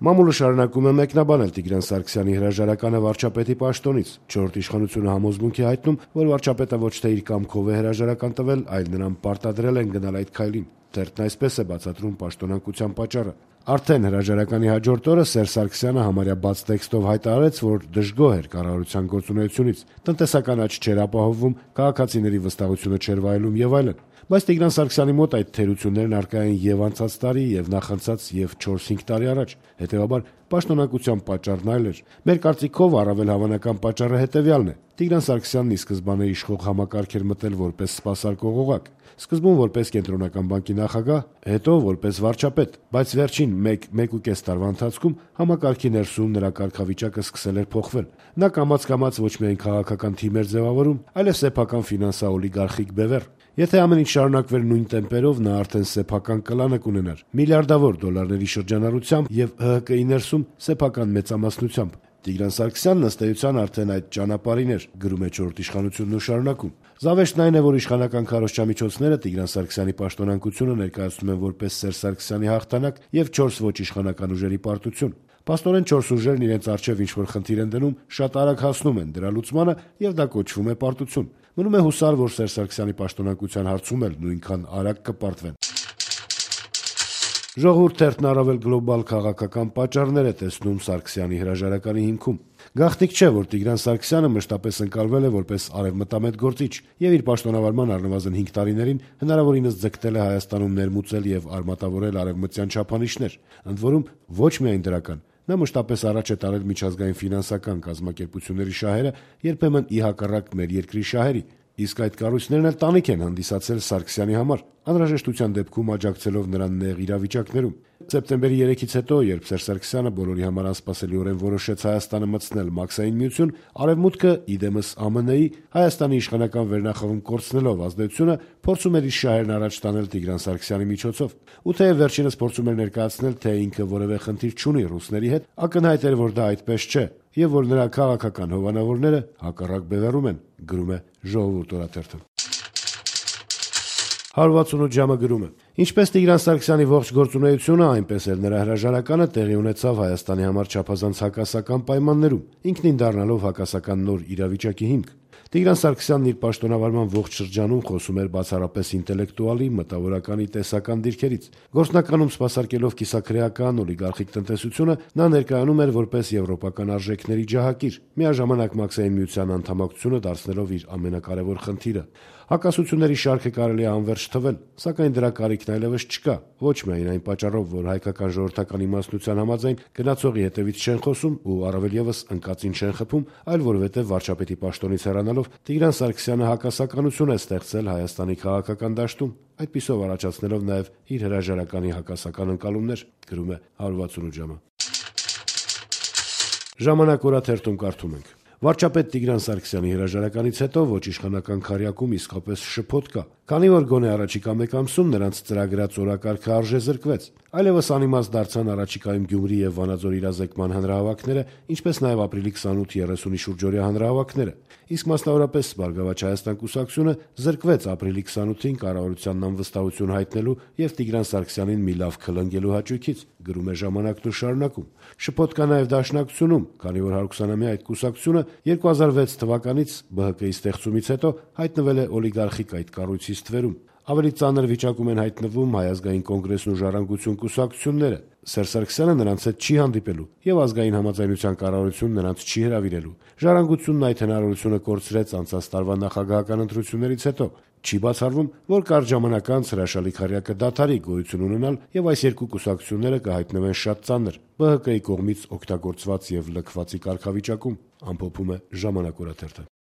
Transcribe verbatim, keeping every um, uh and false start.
Մամուլը շարունակում է մեկնաբանել Տիգրան Սարգսյանի հրաժարականը վարչապետի պաշտոնից։ Չորրորդ իշխանությունը համոզմունք է հայտնում, որ վարչապետը ոչ թե իր կամքով է հրաժարական տվել, այլ նրան պարտադրել են գնալ այդ քայլին։ Թերթն այսպես է բացատրում պաշտոնակության պատճառը։ Արդեն հրաժարականի հաջորդ օրը Սերժ Սարգսյանը համարյա բաց տեքստով հայտարարեց, որ դժգոհ էր կառավարության գործունեությունից, տնտեսական աճ չէր ապահովվում, քաղաքացիների վստահությունը չէր վայելում եւ այլն։ Բայց Տիգրան Սարգսյանի մոտ այդ թերություններն առկա են եւ անցած տարի, եւ նախանցած, եւ չորս-հինգ տարի առաջ։ Հետեւաբար պաշտոնակության պատճառն այլ էր։ Մեր կարծիքով առավել հավանական պատճառը հետեւյալն է. Տիգրան Սարգսյանն ի սկզբանե իշխող համակարգ էր մտել որպես սպասարկող օղակ, սկզբում որպես կենտրոնական բանկի նախագահ, հետո որպես վարչապետ, բայց վերջին մեկ-մեկուկես տարվա ընթացքում համակարգի ներսում նրա կարգավիճակը սկսել էր փոխվել։ Նա կամաց-կամաց ոչ միայն քաղաքական թիմ էր ձևավորում, այլև սեփական ֆինանսա-օլիգարխիկ բևեռ։ Եթե ամեն ինչ շարունակվեր նույն տեմպերով, նա արդեն սեփական կլանը կունենար, միլիարդավոր դոլարների շրջանառությամբ եւ Հ Հ Կ-ի ներսում սեփական մեծամասնությամբ։ Տիգրան Սարգսյանն ըստ էության արդեն այդ ճանապարհին էր, գրում է չորրորդ իշխանությունն ու շարունակում։ Զավեշտն այն է, որ իշխանական քարոզչամիջոցները Տիգրան Սարգսյանի պաշտոնակությունը ներկայացնում են որպես Սերժ Սարգսյանի հաղթանակ եւ չորս ոչ իշխանական ուժերի պարտություն։ Փաստորեն չորս ուժերն իրենց առջև ինչ-որ խնդիր են դնում, շատ արագ հասնում են դրա լուծմանը եւ դա կոչվում է պարտություն։ Մնում է հուսալ, որ Սերժ Սարգսյանի պաշտոնակության հարցում էլ նույնքան արագ կպարտվեն։ Ժողովուրդ թերթն առավել գլոբալ քաղաքական պատճառներ է տեսնում Սարգսյանի հրաժարականի հիմքում։ Գաղտնիք չէ, որ Տիգրան Սարգսյանը մշտապես ընկալվել է որպես արևմտամետ գործիչ եւ իր պաշտոնավարման առնվազն հինգ տարիներին հնարավորինս ձգտել է Հայաստանում ներմուծել եւ արմատավորել արևմտյան չափանիշներ, ընդ որում ոչ միայն դրական։ Նա մշտապես առաջ է տարել միջազգային ֆինանսական կազմակերպությունների շահերը, երբեմն ի հակառակ մեր երկրի շահերի, իսկ այդ կառույցներն էլ տանիք են հանդիսացել Սարգսյանի համար, անհրաժեշտության դեպքում աջակցելով նրան նեղ իրավիճակներում։ Սեպտեմբերի երեքից հետո, երբ Սերժ Սարգսյանը բոլորի համար անսպասելիորեն որոշեց Հայաստանը մտցնել Մաքսային միություն, Արևմուտքը, իդեմս Ա Մ Ն-ի, Հայաստանի իշխանական վերնախավում կորցնելով ազդեցությունը, փորձում էր իր շահերն առաջ տանել Տիգրան Սարգսյանի միջոցով։ Ու թեև վերջինս փորձում էր ներկայացնել, թե ինքը որևէ խնդիր չունի ռուսների հետ, ակնհայտ էր, որ դա այդպես չէ, եւ որ նրա քաղաքական հովանավորները հակառակ բևեռում են, գրում է Ժողովուրդ օրաթերթը։ հարյուր վաթսունութ ժամը գրում է. Ինչպես Տիգրան Սարգսյանի ողջ գործունեությունը, այնպես էլ նրա հրաժարականը տեղի ունեցավ Հայաստանի համար չափազանց հակասական պայմաններում, ինքնին դառնալով հակասական նոր իրավիճակի հիմք։ Տիգրան Սարգսյանն իր պաշտոնավարման ողջ շրջանում խոսում էր բացառապես ինտելեկտուալի, մտավորականի, տեսական դիրքերից։ Գործնականում սպասարկելով կիսաքրեական օլիգարխիկ տնտեսությունը, նա ներկայանում էր որպես եվրոպական արժեքների ջահակիր, միաժամանակ Մաքսային միության անդամակցությունը դարձնելով իր ամենակարևոր խնդիրը։ Հակասությունների շարքը կարելի է անվերջ թվել, սակայն դրա կարիքն այլևս չկա, ոչ միայն այն պատճառով, որ հայկական ժողովրդական իմաստնության համաձայն գնացողի հետևից չեն խոսում ու առավել եւս ընկածին չեն խփում, այլ որովհետեւ վարչապետի պաշտոնից հեռանալով Տիգրան Սարգսյանը հակասականություն է ստեղծել Հայաստանի քաղաքական դաշտում, այդպիսով առաջացնելով նաեւ իր հրաժարականի հակասական ընկալումներ, գրում է հարյուր վաթսունութ ժամը։ Ժամանակ օրաթերթում կարդում ենք. Վարչապետ Տիգրան Սարգսյանի հրաժարականից հետո ոչ իշխանական քարյակում իսկապես շփոթ կա, քանի որ գոնե առաջիկա մեկ ամսում նրանց ծրագրած օրակարգը արժեզրկվեց։ Այլևս անիմաստ դարձան առաջիկայում Գյումրի եւ Վանաձոր իրազեկման հանրահավաքները, ինչպես նաեւ ապրիլի քսանութ երեսունի շուրջօրյա հանրահավաքները։ Իսկ մասնավորապես Բարգավաճ Հայաստան կուսակցությունը զրկվեց ապրիլի քսանութին կառավարությանն անվստահություն հայտնելու եւ Տիգրան Սարգսյանին մի լավ քլնգելու հաճույքից, գրում է Ժամանակն ու շարունակում։ Շփոթ կա նաեւ Դաշնակցությունում, քանի որ հարյուրամյա այդ կուսակցությունը երկու հազար վեց թվականից Բ Հ Կ-ի ստեղծումից հետո հայտնվել է օլիգարխիկ այդ կառույցի ստվերում։ Ավելի ծանր վիճակում են հայտնվում Հայ ազգային կոնգրեսն ու Ժառանգություն կուսակցությունները։ Սերժ Սարգսյանը նրանց հետ չի հանդիպելու եւ ազգային համաձայնության կառավարությունն նրանց չի հրավիրելու։ Ժառանգությունն այդ հնարավորությունը կորցրեց անցած տարվա նախագահական ընտրություններից հետո։ Չի բացառվում, որ կարճ ժամանակ անց հրաշալի քարյակը դադարի գոյություն ունենալ եւ այս երկու կուսակցությունները կհայտնվեն շատ ծանր Բ Հ Կ-ի կողմից օգտագործված եւ լքվածի կարգավիճակում, ամփոփում է Ժամանակ օրաթերթը։